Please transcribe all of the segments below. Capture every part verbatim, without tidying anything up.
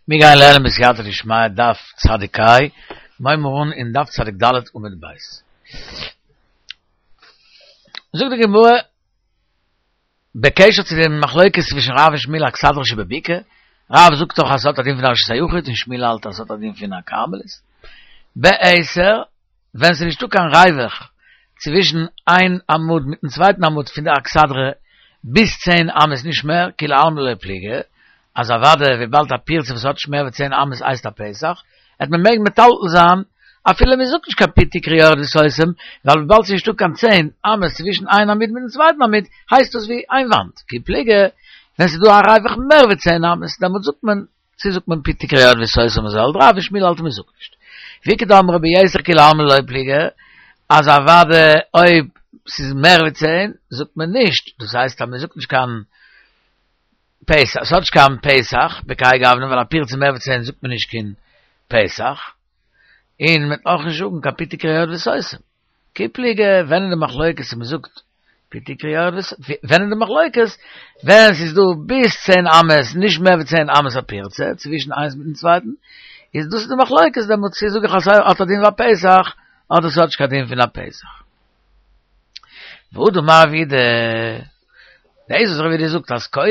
מיר גייען לערנען בסייעתא דשמיא דף צדיק ה', מיר הייבן אן אין דף צדיק ד' עמוד ב'. זאגט די גמרא בקשר צו די מחלוקת צווישן רב און שמואל אכסדרה שבבקעה, רב זאגט דאך אז ס'האט א דין פון א רשות היחיד און שמואל האלט אז ס'האט א דין פון א כרמלית. בעשר, ווען ס'איז נישטא קיין ריווח צווישן איין עמוד מיטן צווייטן עמוד פון די אכסדרה ביז צען אמות נישט מער, כולי עלמא לא פליגי, אז אוודאי וויבאלד א פירצה וואס האט נישט מער ווי צען אמות הייסט א פתח, העט מען מעגן מטלטל זיין אפילו מען זאגט נישט קיין פי תקרה יורד וסותם, ווייל וויבאלד ס'איז נישטא קיין צען אמות צווישן איין עמוד מיטן צווייטן עמוד, הייסט דאס ווי איין וואנט, כי פליגי, ווען ס'איז דא א ריווח מער ווי צען אמות, דעמאלט זאגט מען, צו זאגט מען פי תקרה יורד וסותם אזוי האלט רב און שמואל האלט מען זאגט נישט. ואיכא דאמרי ביתר כולי עלמא לא פליגי, אז אוודאי אויב ס'איז מער ווי צען זאגט מען נישט, דאס הייסט אז מען זאגט נישט קיין פתח, ס'האט נישט קיין פתח, בכהאי גוונא, ווייל א פירצה מער ווי צען זאגט מען נישט קיין פתח, און מען וועט אויך נישט זאגן קיין פי תקרה יורד וסותם. כי פליגי, ווען איז די מחלוקת צו מען זאגט פי תקרה יורד וסותם, ווען איז די מחלוקת ווען ס'איז דא ביז צען אמות, נישט מער ווי צען אמות א פירצה, צווישן איינס מיטן צווייטן, איז דאס איז די מחלוקת דעמאלטס צו זאג איך אז ס'האט א דין ווי א פתח, אדער ס'האט נישט קיין דין פון א פתח. והא דאמר רב יהודה, דאס וואס רב יהודה זאגט אז קורה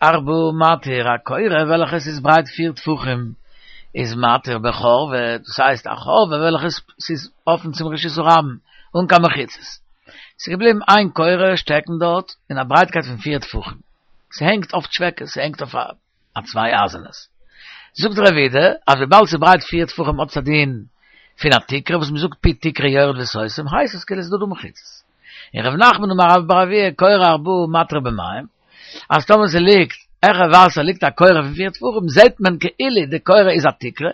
ארבעה מתיר, א קורה וועלכע עס איז ברייט פיר טפחים איז מתיר בחורבה, דאס הייסט א חורבה וועלכע ס'איז אפן צום רשות הרבים אן קיין מחיצות, ס'איז געבליבן איין קורה שטעקן דארט אין א ברייטקייט פון פיר טפחים, ס'הענגט אויף טשוועקעס, ס'הענגט אויף א צוויי אייזענעס. זאגט רב יהודה אז וויבאלד ס'איז ברייט פיר טפחים האט עס א דין פון א תקרה וואס מ'זאגט פי תקרה יורד וסותם הייסט עס כאילו ס'איז דא דא מחיצות. און ר' נחמן אמר רבה בר אבוה קורה ארבעה מתירה במים, אז טאמער ס'ליגט העכער וואסער ליגט א קורה פון פיר טפחים זעהט מען כאילו די קורה איז א תקרה,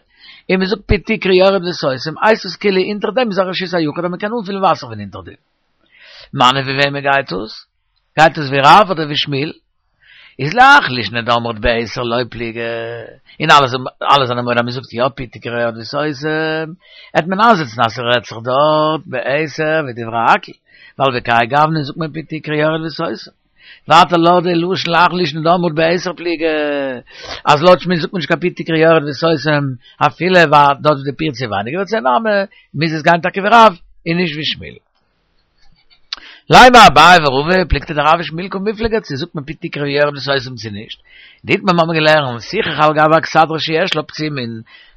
און מ'זאגט פי תקרה יורד וסותם הייסט עס כאילו אונטער דעם איז א רשות היחיד אז מ'קען אנפילן וואסער פון אונטער דעם. מני ווי וועמען גייט עס? גייט עס ווי רב אדער ווי שמואל? איז להך לישנא דאמרת בעשר לא פליגי, און אלע אלע זענען מודה אז מען זאגט יא פי תקרה יורד וסותם, העט מען איינזעצן אז ס'רעדט זיך דארט בעשר ווי דברי הכל, ווייל בכהאי גוונא זאגט מען פי תקרה יורד וסותם. ווייטער לויט די לשון להך לישנא דאמרת בעשר פליגי, אז לויט שמואל זאגט מען נישט קיין פי תקרה יורד וסותם אפילו ווייל דארט איז די פירצה ווייניגער ווי צען אמה, מוז עס גיין טאקע ווי רב און נישט ווי שמואל. לימא אביי ורבא פלוגתא דרב ושמואל קמיפלגי צו זאגט מען פי תקרה יורד וסותם צו נישט. דאיתמר מ'האבן געלערנט סיכך על גבי אכסדרה שיש לה פצימין,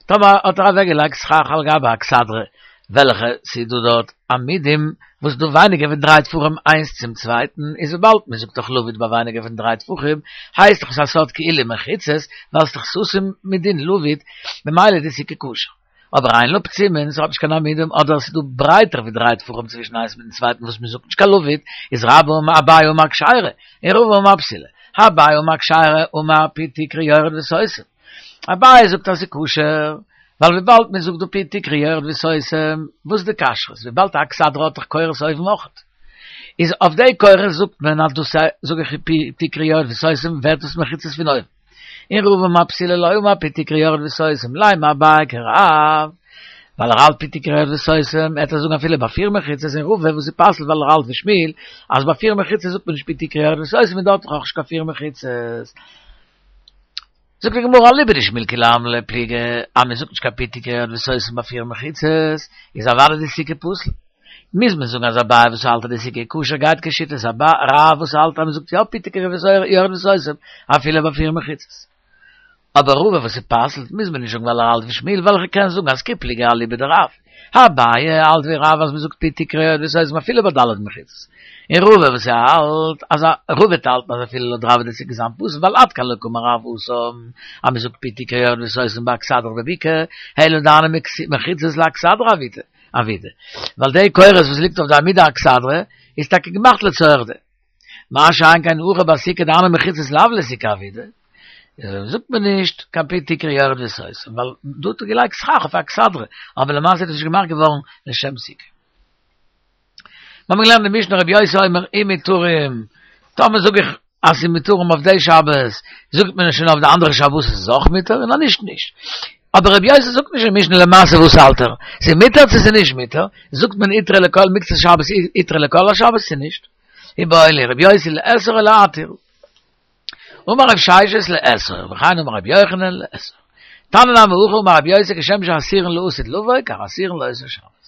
טאמער האט ער אוועק געלייגט סכך על גבי אכסדרה וועלכע ס'איז דא דארט עמודים וואס דא ווייניגער ווי דריי טפחים איינס צום צווייטן איז וויבאלד מ'זאגט דאך לבוד ביי ווייניגער פון דריי טפחים הייסט דאך עס א סארט כאילו מחיצות ווייל ס'איז דאך סתום מדין לבוד ממילא איז די סוכה כשר. אבער אין לה פצימין, ס'האט נישט קיין עמודים, אדער ס'איז דא ברייטער ווי דריי טפחים צווישן איינס מיטן צווייטן וואס מ'זאגט נישט קיין לבוד, איז רבה אמר אביי אמר כשרה, און רבא אמר פסולה. אביי אמר כשרה אמר פי תקרה יורד וסותם. אביי זאגט אז ס'איז כשר, ווייל וויבאלד מ'זאגט דא פי תקרה יורד וסותם, וואס איז די כשרות? וויבאלד א אכסדרה האט דאך קורות אויבן אויכעט. איז אויף די קורות זאגט מען אז דאס זאג איך פי תקרה יורד וסותם ווערט דאס מחיצות פון אויבן. און רבא אמר פסולה לא אמר פי תקרה יורד וסותם לימא אביי כרב, ווייל ער האלט פי תקרה יורד וסותם, העט ער זאגן אפילו ביי פיר מחיצות און רבא וואס ס'פסל'ט ווייל ער האלט ווי שמואל אז ביי פיר מחיצות זאגט מען נישט פי תקרה יורד וסותם און דארט איז אויך נישט קיין פיר מחיצות. זאגט די גמרא אליבא דשמואל כולי עלמא לא פליגי אז מען זאגט נישט קיין פי תקרה יורד וסותם ביי פיר מחיצות איז אוודאי די סוכה פסול. מוז מען זאגן אז אביי וואס האלט אז די סוכה כשר גייט כשיטת רב וואס האלט אז מען זאגט יא פי תקרה יורד וסותם אפילו ביי פיר מחיצות. אבער רבא וואס ס'פסל'ט מוז מען נישט זאגן ווייל ער האלט ווי שמואל ווייל כ'קען זאגן אז כי פליגי אליבא דרב. אביי האלט ווי רב אז מען זאגט פי תקרה יורד וסותם אפילו ביי ד' מחיצות. און רבא וואס האלט אז רבא וועט האלטן אז אפילו לויט רב וועט די סוכה זיין פסול ווייל עד כאן לא קאמר רב התם אז מען זאגט פי תקרה יורד וסותם באכסדרה בבקעה אלא דהני מחיצות לאכסדרה עבידי. עבידי. ווייל די קורות וואס ליגט אויף די עמודי האכסדרה איז טאקע געמאכט לצורך דעם. מה שאין כן הכא בסוכה דהני מחיצות לאו לסוכה עבידי, זאגט מען נישט קיין פי תקרה יורד וסותם, ווייל דא האט ער געלייגט סכך אויף אכסדרה, אבער למעשה איז עס נישט געמאכט געווארן לשם סוכה. מיר האבן געלערנט די משנה רבי יוסי אומר אם מותרים, טאמער זאג איך אז ס'איז מותרים אויף די שבת, זאגט מען שוין אויף די אנדערע שבת איז עס אויך מותר, און אז נישט נישט. אבער רבי יוסי זאגט נישט אין משנה למעשה וואס האלט ער, ס'איז מותר צו ס'איז נישט מותר, זאגט מען הותרה לכל מקצת שבת הותרה לכל השבת צו נישט. איבעיא להו רבי יוסי לאסור או להתיר. אמר רב ששת לאסור, וכן אמר רבי יוחנן לאסור. תנא נמי הכי אמר רבי יוסי כשם שאסורין לעתיד לבוא, כך אסורין לאותו שבת.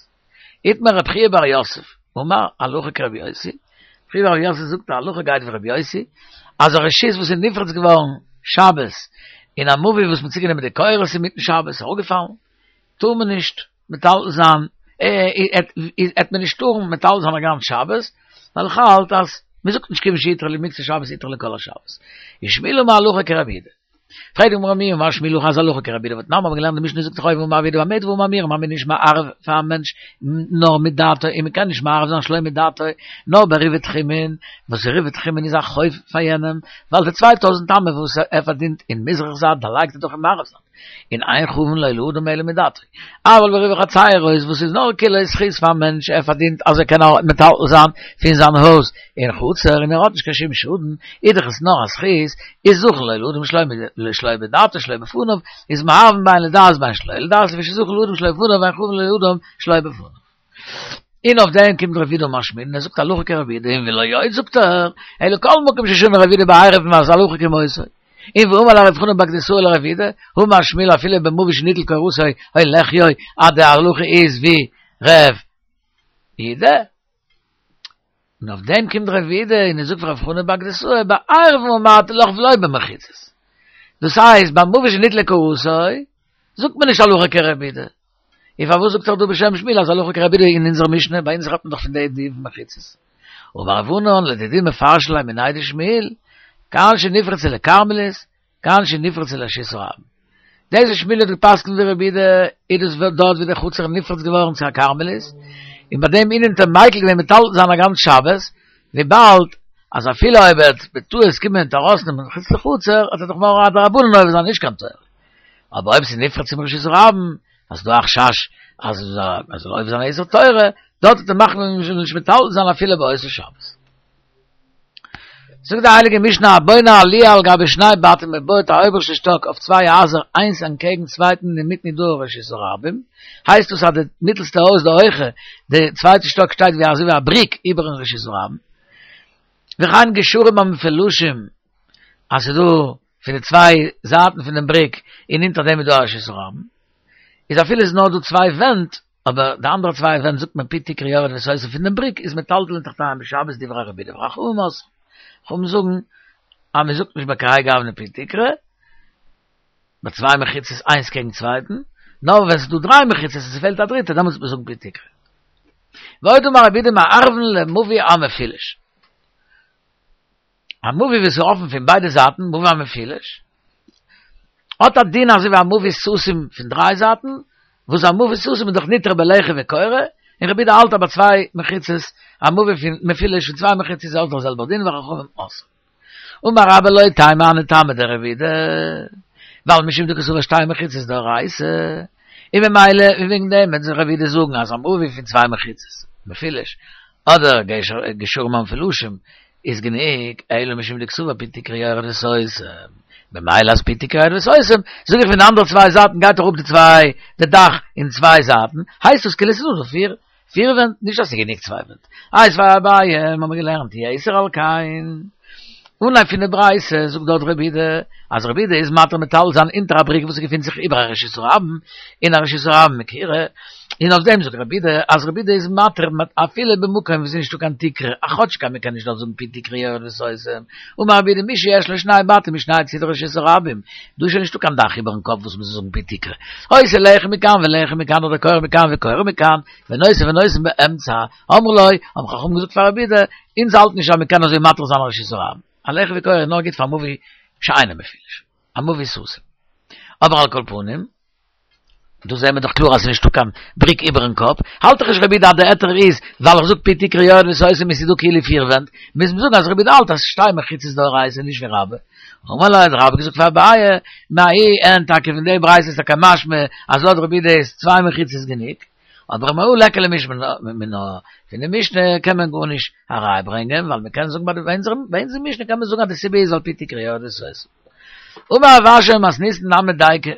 איתמר רב חייא בר יוסף, אמר הלכה כרבי יוסי, רב חייא בר יוסף זאגט די הלכה גייט ווי רבי יוסי, אז א רשות וואס איז נפרץ געווארן שבת אין א מבוי וואס מ'האט צוגענומען די קורות אינמיטן שבת איז אראפגעפאלן, טאר מען נישט מטלטל זיין, עט מען נישט טארן מטלטל זיין א גאנץ שבת, ווייל איך האלט אז מ'זאגט נישט כיוון שהותרה למקצת שבת הותרה לכל השבת. ושמואל אמר הלכה כרבי יהודה. פרעגט די גמרא מי אמר שמואל הכי אז הלכה כרבי יהודה והתנן מ'האבן געלערנט די משנה זאגט דאך אויבן אמר רבי יהודה במה דברים אמורים אז מ'איז נישט מערב פאר א מענטש נאר מדעתו און מ'קען נישט מערב זיין שלא מדעתו נאר בעירובי תחומין וואס עירובי תחומין איז א חוב פאר יענעם ווייל די צוויי טויזנט אמה וואס ער פארדינט אין מזרח זייט דערלייגט ער דאך אין מערב זייט. און אין חבין לו לאדם אלא מדעתו. אבל בעירובי חצירות וואס איז נאר כאילו זכות פארן מענטש ער פארדינט אז ער קען מטלטל זיין פון זיין הויז אין חצר און ער האט נישט קיין שום שאדן איז דאך עס נאר א זכות איז זכין לו לאדם שלא בדעתו שלא בפניו איז מערבין בין לדעת בין שלא לדעת לפי שזכין לאדם שלא בפניו ואין חבין לו לאדם שלא בפניו. און אויף דעם קומט רב יהודה אמר שמואל און ער זאגט הלכה כרבי יהודה און ולא עוד זאגט ער אלא כל מקום ששנה רב יהודה בעירובין אז הלכה כמותו. און ואמר לה רב חנא בר גדסוה לרב יהודה, האמר שמואל אפילו במבוי שניטל קורתו הולך יוי אז די הלכה איז ווי רב יהודה, און אויף דעם קומט רב יהודה און ער זאגט פאר רב חנא בר גדסוה בעירובין אמרתי לך ולא במחיצות, דאס הייסט ביי מבוי שניטלה קורתו זאגט מען נישט הלכה כרב יהודה, און פארוואס זאגט ער דא בשם שמואל אז הלכה כרבי יהודה אין אונזער משנה, ביי אונז רעדט מען דאך פון די דין פון מחיצות. אמר רב ענן לדידי מפרשא לי מיניה דשמואל, כאן שנפרצה לכרמלית, כאן שנפרצה לרשות הרבים. דאס וואס שמואל האט געפסקנט ווי רבי יהודה, איז דאס דארט ווי דער חצר איז נפרץ געווארן צו א כרמלית, און ביי דעם ענין האט ער מיקל געווען מטלטל זיין א גאנץ שבת, וויבאלד אז אפילו אויב ער וועט בטעות קומען און ארויסנעמען מחוץ לחצר, האט ער דאך נאר א דרבנן עובר זיין נישט קיין תורה. אבער אויב ס'איז נפרץ צום רשות הרבים, אז ס'דא א חשש אז ער זאל עובר זיין א איסור תורה, דארט וועט ער מחמיר זיין נישט מטלטל זיין אפילו באותו שבת. זאגט די הייליגע משנה הבונה עליה על גבי שני בתים מען בויעט א אויבערשטע שטאק אויף צוויי הייזער איינס אנטקעגן צווייטן אינמיטן איז דא א רשות הרבים, הייסט דאס אז די מיטלסטע הויז די הויכע די צווייטע שטאק שטייט ווי אזוי ווי א בריק איבערן רשות הרבים, וכן גשרים המפולשים אז ס'איז דא פון די צוויי זייטן פון דעם בריק און אונטער דעם איז דא א רשות הרבים, איז אפילו איז נאר דא צוויי ווענט, אבער די אנדערע צוויי ווענט זאגט מען פי תקרה יורד וסותם פון דעם בריק איז מטלטלין תחתיהם בשבת דברי רבי יהודה וחכמים אוסרין. חכמים זאגן אז מען זאגט נישט בכהאי גוונא פי תקרה, ביי צוויי מחיצות איינס קעגן צווייטן, נאר ווען ס'איז דא דריי מחיצות און ס'פעלט א דריטע דעמאלטס וועט מען זאגן פי תקרה. ועוד אמר רבי יהודה מערבין למבוי המפולש. א מבוי וואס איז אפן פון ביידע זייטן, מבוי המפולש, האט א דין אזוי ווי א מבוי סתום פון דריי זייטן, וואס א מבוי סתום איז דאך ניתר בלחי וקורה, און רבי יהודה האלט אז ביי צוויי מחיצות, א מבוי פון מפולש פון צוויי מחיצות איז אויך דער זעלבער דין וחכמים אוסרין. אמר רבה לא תימא הני טעמא דרבי יהודה, ווייל משום דקסבר שתי מחיצות דאורייתא, און ממילא וועגן דעם וועט רבי יהודה זאגן אז א מבוי פון צוויי מחיצות, מפולש, אדער גשרים המפולשים, איז גענוג, אלא משום דקסבר פי תקרה יורד וסותם, ממילא אז פי תקרה יורד וסותם, זאג איך פון די אנדערע צוויי זייטן גייט אראפ די צוויי, די דאך אין צוויי זייטן, הייסט עס כאילו ס'איז דא פיר, פיר ווענט, נישט אז ס'איז גענוג צוויי ווענט. איתיביה אביי, האבן מיר געלערנט יתר על כן. אנהייב פון די ברייתא זאגט דארט רבי יהודה, אז רבי יהודה איז מתיר מטלטל זיין אונטער א בריק וואס געפינט זיך איבער א רשות הרבים, און א רשות הרבים מכירה, און אויף דעם זאגט רבי יהודה אז רבי יהודה איז מתיר אפילו במקום וואו ס'איז נישטא קיין תקרה, א כאטש מען קען נישט דארט זאגן פי תקרה יורד וסותם, אמר רבי יהודה מי שיש לו שני בתים משני צידי רשות הרבים, דא איז שוין נישטא קיין דאך איבערן קאפ וואס מ'זאל זאגן פי תקרה, העושה לחי מכאן ולחי מכאן אדער קורה מכאן וקורה מכאן, ונושא ונותן באמצע, אמרו לו, האבן חכמים געזאגט פאר רבי יהודה, אונז האלטן נישט אז מ'קען אזוי מתיר זיין א רשות הרבים, א לחי וקורה איז נאר גוט פאר מבוי שאינו מפולש, א מבוי סתום. אבער על כל פנים, דא זעהן מיר דאך קלאר אז ס'איז נישטא קיין בריק איבערן קאפ, האלט דאך נישט רבי יהודה אז די היתר איז ווייל איך זאג פי תקרה יורד וסותם און ס'איז דא כאילו פיר ווענט, מוז מען זאגן אז רבי יהודה האלט אז שתי מחיצות דאורייתא נישט ווי רבה. אמר ליה האט רבה געזאגט פאר אביי, מההיא אין טאקע פון די ברייתא איז טאקע משמע אז לויט רבי יהודה איז צוויי מחיצות גענוג, אבער מהא ליכא למשמע מינה, פון די משנה קען מען גארנישט א ראיה ברענגען, ווייל מ'קען זאגן ביי אונזער משנה קען מען זאגן אז די סיבה איז ווייל פי תקרה יורד וסותם. אמר רב אשי מתניתין נמי דיקא,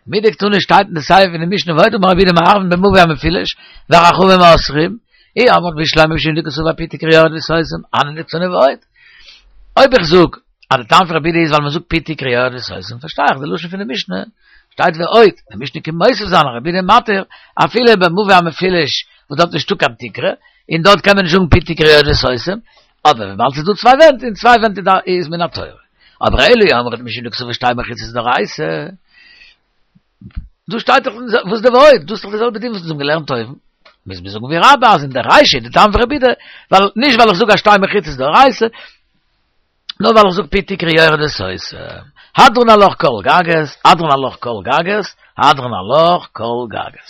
מדקתני שטייט אין די סיפא פון די משנה ועוד אמר רבי יהודה מערבין במבוי המפולש וחכמים אוסרים, אי אמרת בשלמא משום דקסבר פי תקרה יורד וסותם, הני דקתני ועוד. אויב איך זאג אז די טעם פון רבי יהודה איז ווייל מען זאגט פי תקרה יורד וסותם פארשטיי איך די לשון פון די משנה, שטייט ועוד, די משנה קומט מוסיף זיין, רבי יהודה מתיר, אפילו במבוי המפולש, וואס דארט נישטא קיין תקרה, און דארט קען מען נישט זאגן פי תקרה יורד וסותם, אבער וויבאלד ס'איז דא צוויי ווענט, און צוויי ווענט איז מן התורה. אבער אלו אמרת משום דכתיב שתי מחיצות דאורייתא. דא שטייט דאך וואס דער ועוד, דאס איז דאך די זעלבע דין וואס אונז האבן געלערנט אויבן. מוז מען זאגן ווי רבה אז אין דער רישא די טעם פון רבי יהודה, ווייל נישט ווייל איך זאג אז שתי מחיצות דאורייתא, נאר ווייל איך זאג פי תקרה יורד וסותם. הדרן עלך כל גגות, הדרן עלך כל גגות, הדרן עלך כל גגות.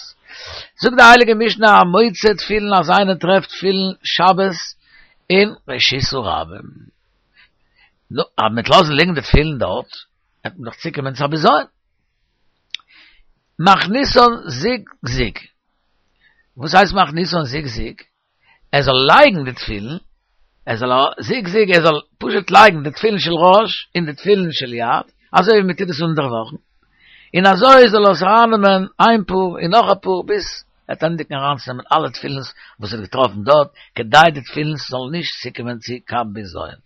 זאגט די הייליגע משנה המוצא תפילין אז איינער טרעפט תפילין שבת אין רשות הרבים. נו, אז מ'וועט לאזן ליגן די תפילין דארט, וועט מען דאך צוקומען צו א בזיון. מכניסן זוג זוג. וואס הייסט מכניסן זוג זוג? ער זאל לייגן די תפילין, ער זאל זוג זוג, ער זאל פשוט לייגן די תפילין של ראש און די תפילין של יד, אזוי ווי מען טוט עס אינדערוואכן, און אזוי זאל ער עס ארייננעמען איין פאר און נאך א פאר ביז ער וועט ענדיגן אריינצונעמען אלע תפילין וואס ער האט געטראפן דארט, כדי די תפילין זאלן נישט צוקומען צו קיין בזיון.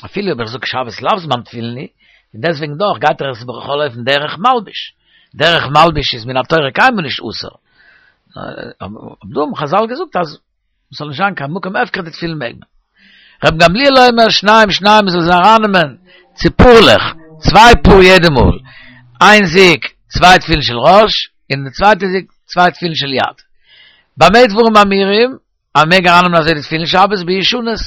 אפילו אויב איך זאג שבת לאו זמן תפילין הוא, און דעסוועגן דאך גייט ער עס בכל אופן דרך מלבוש. דרך מלבוש איז מן התורה קיינמאל נישט אסור. אבער דא האבן חזל געזאגט אז ס'זאל נישט זיין קיין מקום הפקר די תפילין מעג מען. רבן גמליאל אומר שניים שניים מ'זאל זיי ארייננעמען צו פארלעך, צוויי פאר יעדע מאל, איין זוג צוויי תפילין של ראש, און די צווייטע זוג צוויי תפילין של יד. במה דברים אמורים? אז מ'מעג ארייננעמען אזוי די תפילין שבת בישנות,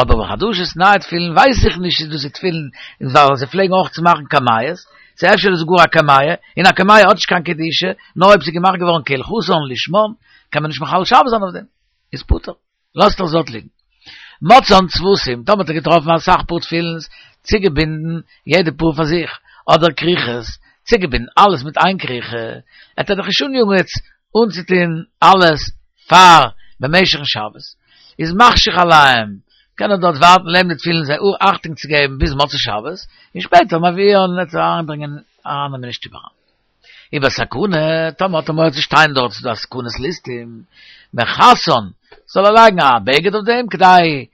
אבער בחדשות נייע תפילין ווייס איך נישט צו דאס איז תפילין ווייל זיי פלעגן אויך צו מאכן קמיעות, צו אפשר איז עס גאר א קמיה, און א קמיה האט נישט קיין קדושה, נאר אויב ס'איז געמאכט געווארן כהלכתן לשמן, קען מען נישט מחלל שבת זיין אויף דעם, איז פטור, לאזט ער עס דארט ליגן. מצאן צוותים, טאמער האט ער געטראפן אסאך פאר תפילין, צוגעבינדן יעדע פאר פאר זיך, אדער כריכות, צוגעבינדן אלעס מיט איין כריכה, וועט ער דאך נישט אניאגן יעצט אנצוטון אלעס פאר במשך'ן שבת, איז מחשיך עליהם, קען ער דארט ווארטן לעבן די תפילין זיי אכטונג צו געבן ביז מוצאי שבת, און שפעטער מביאן וועט ער אריינברענגען ארייננעמען אין שטוב אריין. ובסכנה, טאמער האט ער מורא צו שטיין דארט ס'איז דא א סכנת ליסטים, מכסן, זאל ער לייגן א בגד אויף דעם כדי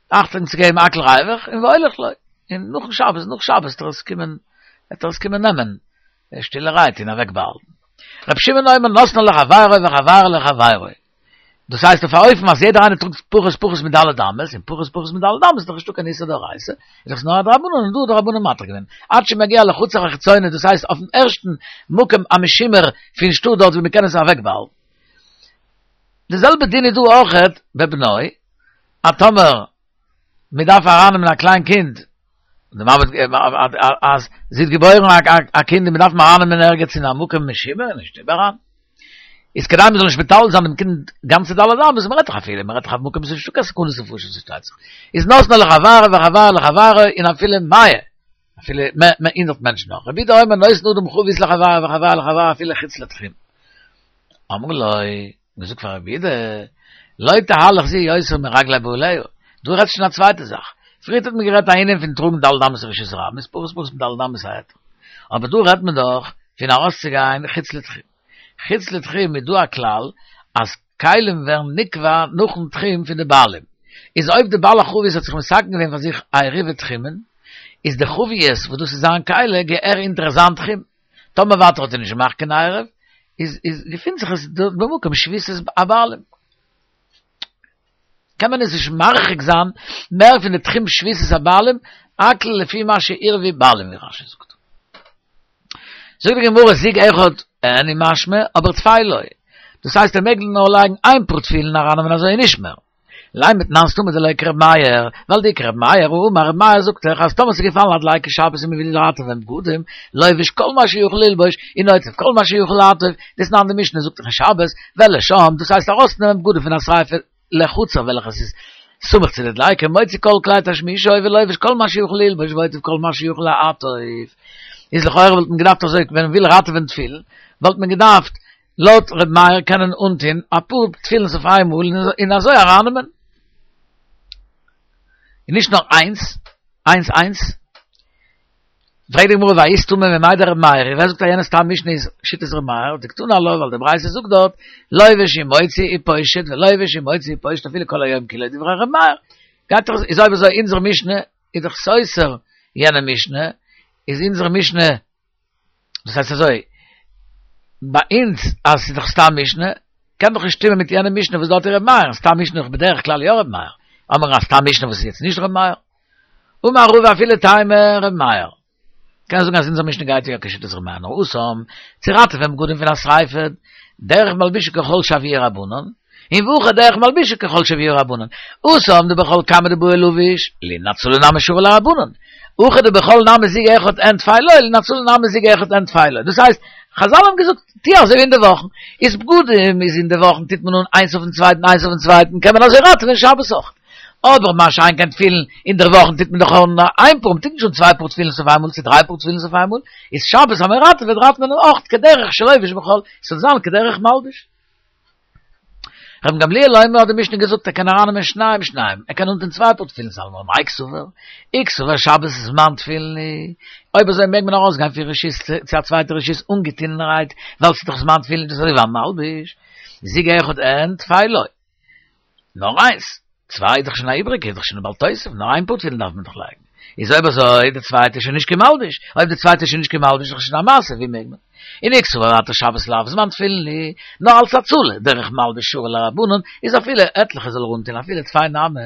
אכטונג צו געבן הכל ריווח, און והולך לו, און נאכן שבת, נאך שבת וועט ער עס קומען, וועט ער עס קומען נעמען, שטילערהייט און אוועק באהאלטן. רבי שמעון אומר נותנן לחבירו וחבירו לחבירו. דאס הייסט אויף א אופן אז יעדער איינער טראגט פחות פחות מד' אמות, און פחות פחות מד' אמות איז דאך נישטא קיין איסור דאורייתא, איז דאך נאר א דרבנן און דא האט די רבנן מתיר געווען. עד שמגיע לחצר החיצונה, דאס הייסט אויפן ערשטן מקום המשומר פון שטאט דארט ווי מען קען עס אוועקבאהאלטן. די זעלבע דין איז דא אויכעט בבנו, אז טאמער מען דארף ארייננעמען א קליין קינד, די מאמע אז זי האט געבוירן א קינד און מען דארף אים ארייננעמען ערגעץ אין א מקום משומר אין שטוב אריין, איז כדי מען זאל נישט מטלטל זיין דעם קינד גאנצע ד' אמות, מען רעדט דאך אפילו, מען רעדט דאך אויף מקום וואס איז נישטא קיין סכנת נפשות פארשטייט זיך, איז נותנו לחברו וחברו לחברו און אפילו מאה, אפילו הונדערט מענטשן נאך, רבי יהודה אומר נותן אדם חבית לחברו וחברו לחברו אפילו חוץ לתחום. אמרו לו, געזאגט פאר רבי יהודה, לא תהלך זו יותר מרגלי בעליה, דא רעדסט שוין א צווייטע זאך, פריערט האט מען גערעדט א ענין פון טראגן ד' אמות רשות הרבים, איז פחות פחות מד' אמות א היתר, אבער דא רעדט מען דאך פון ארויסצוגיין חוץ לתחום, חוץ לתחום איז דא א כלל אז כלים ווערן נקבע נאכן תחום פון די בעלים, איז אויב די בעל החבית האט זיך מתקן געווען פאר זיך א עירובי תחומין, איז די חבית וואס דאס איז זיין כלי געהער אונטער זיין תחום, טאמער ווייטער האט ער נישט געמאכט קיין עירוב, איז איז געפינט זיך עס דארט במקום שביתת הבעלים. קען מען עס נישט מרחיק זיין מער פון די תחום שביתת הבעלים, הכל לפי מה שעירבו בעלים ווי רש"י זאגט. זאגט די גמרא זוג אחד אין אינו משמע, אבער טפי לא. דאס הייסט ער מעג נאר לייגן איין פאר תפילין ארייננעמען אזוי און נישט מער. לימא תנן סתמא דלא כר' מאיר, ווייל דאי כר' מאיר האמר ר' מאיר זאגט דאך אז טאמער ס'איז געפאלן א דליקה שבת און מ'וויל ראטעווען בגדים, לובש כל מה שיכול ללבוש און עוטף כל מה שיכול לעטוף, דתנן די משנה זאגט דאך אין שבת, ולשם, דאס הייסט ארויסנעמען בגדים פון א שריפה לחצר וועלכעס איז סמוך צו די דליקה, מוציא כל כלי תשמישו ולובש כל מה שיכול ללבוש ועוטף כל מה שיכול לעטוף. איז לכאורה וואלט מען געדארפט אזוי ווען מ'וויל ראטעווען תפילין וואלט מען געדארפט לויט ר' מאיר קענען אנטוהן אפאר תפילין אויף איינמאל און אזוי ארייננעמען. און נישט נאר איינס, איינס איינס. פרעגט די גמרא והאי סתמא ממאי דר' מאיר, ווער זאגט אז יענע סתם משנה איז שיטת ר' מאיר, דקתני עלה ווייל די ברייתא זאגט דארט לובש ומוציא ופושט ולובש ומוציא ופושט אפילו כל היום כולו דברי ר' מאיר. גייט דאך איז אויב אזוי אונזער משנה איז דאך סותר יענע משנה, איז אונזער משנה דאס הייסט אזוי, ביי אונז, אז ס'איז דאך סתם משנה, קען דאך נישט שטימען מיט יענע משנה וואס דארט איז ר' מאיר, סתם משנה איז בדרך כלל יא ר' מאיר. האמיר א סתם משנה וואס איז יעצט נישט ר' מאיר. אמר רבא אפילו טעמא ר' מאיר. קען זאגן אז אונזער משנה גייט יא כשיטת ר' מאיר, נאר התם, צו ראטעווען בגדים פון א שריפה, דרך מלבישו כחול שהביאוהו רבנן, און והכא דרך מלבישו כחול שהביאוהו רבנן. התם דבחול כמה דבעי לביש, לינצולי נמי שרו ליה רבנן. הכא דבחול נמי זוג אחד אין טפי לא, לינצולי נמי זוג אחד אין טפי לא. דאס הייסט, חזל האבן געזאגט, טו אזוי ווי אין די וואכן. איז בגדים איז אין די וואכן טוט מען אן איינס אויפן צווייטן איינס אויפן צווייטן, קען מען אזוי ראטעווען שבת אויך. אבער מה שאין כן תפילין, אין דער וואכן טוט מען דאך אן איין פאר, מ'טוט נישט אן צוויי פאר תפילין אויף איינמאל צו דריי פאר תפילין אויף איינמאל, איז שבת אז מען ראטעוועט ראטעוועט מען אויך כדרך שלובש בחול, ס'זאל זיין כדרך מלבוש. רבן גמליאל אומר האט די משנה געזאגט ער קען ארייננעמען שניים שניים, ער קען אנטון צוויי פאר תפילין אלמא מאי קסבר, אי קסבר שבת זמן תפילין הוא, אויב אזוי מעג מען ארויסגיין פון רשות צו א צווייטע רשות אנגעטונענערהייט ווייל ס'איז דאך זמן תפילין דאס איז אזוי ווי א מלבוש, זוג אחד אין טפי לא. נאר איינס, צוויי איז דאך שוין א איבריגע, איז דאך שוין א בל תוסיף, נאר איין פאר תפילין דארף מען דאך לייגן. איז אויב אזוי, די צווייטע איז שוין נישט קיין מלבוש, אויב די צווייטע איז שוין נישט קיין מלבוש איז דאך שוין א מעשה, ווי מעג מען? און אי קסבר ווייטער שבת לאו זמן תפילין הוא, נאר אלס הצלה, דרך מלבוש שרו ליה רבנן, איז אפילו עטליכע זאל ער אנטון אפילו טפי נמי,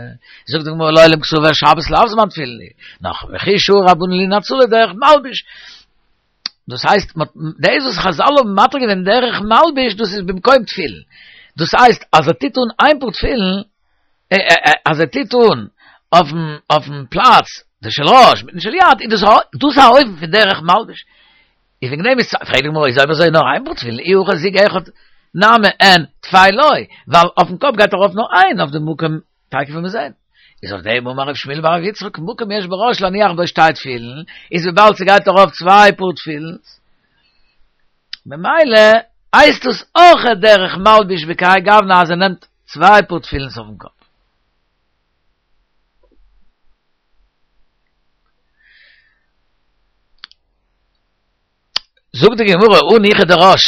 זאגט די גמרא לעולם קסבר שבת לאו זמן תפילין הוא, נאר וכי שרו רבנן לינצולי דרך מלבוש, דאס הייסט, דאס וואס חזל האבן מתיר געווען דרך מלבוש דאס איז במקום תפילין, דאס הייסט אז ער טוט אן איין פאר תפילין, אז ער טוט אן אויפן אויפן פלאץ די של ראש מיטן של יד, איז דאס דאס א אופן פון דרך מלבוש. איז וועגן דעם איז פרעגט די גמרא איז אויב אזוי נאר איין פאר תפילין, אי הכי זוג אחד נמי אין טפי לא, ווייל אויפן קאפ גייט ארויף נאר איין אויף די מקום תיכף וועט מען זען. איז אויף דעם אמר רב שמואל בר רב יצחק מקום יש בראש להניח בו שתי תפילין, איז וויבאלד ס'גייט ארויף צוויי פאר תפילין, ממילא הייסט עס אויך דרך מלבוש בכהאי גוונא אז ער נעמט צוויי פאר תפילין אויפן קאפ. זאגט די גמרא הניחא דראש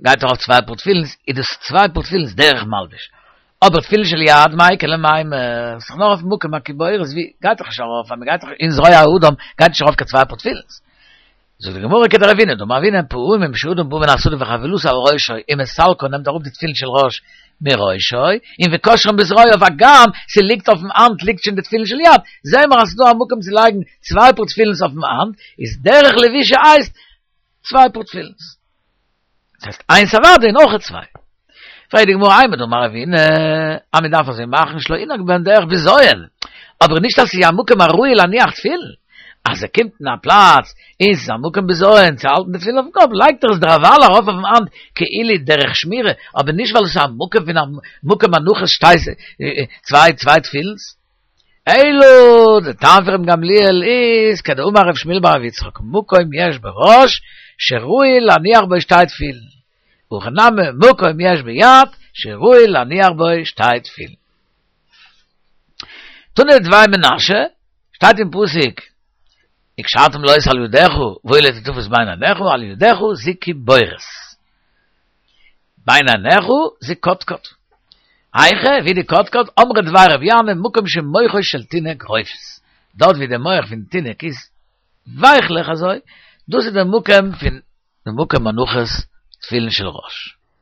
גייט ארויף צוויי פאר תפילין איז דאס צוויי פאר תפילין דרך מלבוש אבער תפילין של יד מאי איכא למימר ס'איז נאר אויף מקום הקיבורת ווי גייט דאך נישט ארויף אז מ'גייט דאך אין זרוע האדם גייט נישט ארויף קיין צוויי פאר תפילין זאגט די גמרא כדרבינא דאמר רבינא פעמים שאדם בא מן השדה וחבילתו על ראשו ומסלקן נעמט אראפ די תפילין של ראש מראשו און וקושרן בזרועיו הגם ס'ליגט אויפן האנט ליגט שוין די תפילין של יד זעהן מיר אז ס'דא א מקום צו לייגן צוויי פאר תפילין אויפן האנט איז דרך לבישה הייסט צוויי פאר תפילין. דאס הייסט איינס אוודאי און אויך צוויי. פרעגט די גמרא אימר דאמר רבינא אז מען דארף אזוי מאכן שלא ינהג בהן דרך בזיון, אבער נישט אז ס'איז א מקום הראוי להניח תפילין, אז ער קומט אין א פלאץ און ס'איז א מקום בזיון צו האלטן די תפילין אויפן קאפ לייגט ער עס דערווייל ארויף אויפן האנט כאילו דרך שמירה, אבער נישט ווייל עס איז א מקום פון א מקום הנחת שתי צוויי צוויי תפילין. אלא די טעם פון רבן גמליאל איז כדאמר רב שמואל בר רב יצחק מקום יש בראש שראוי להניח בו שתי תפילין והכא נמי מקום יש ביד שראוי להניח בו שתי תפילין. תנא דבי מנשה, שטייט אין פסוק וקשרתם לאות על ידך והיו לטוטפות בין עיניך על ידך זו קיבורת. בין עיניך זו קדקד. היכא, ווי די קדקד, אמרי דבי רבי ינאי, מקום שמוחו של תינוק רופס. דארט ווי די מח פון תינוק איז ווייכלעך אזוי, דאס איז די מקום פון די מקום הנחת תפילין של ראש.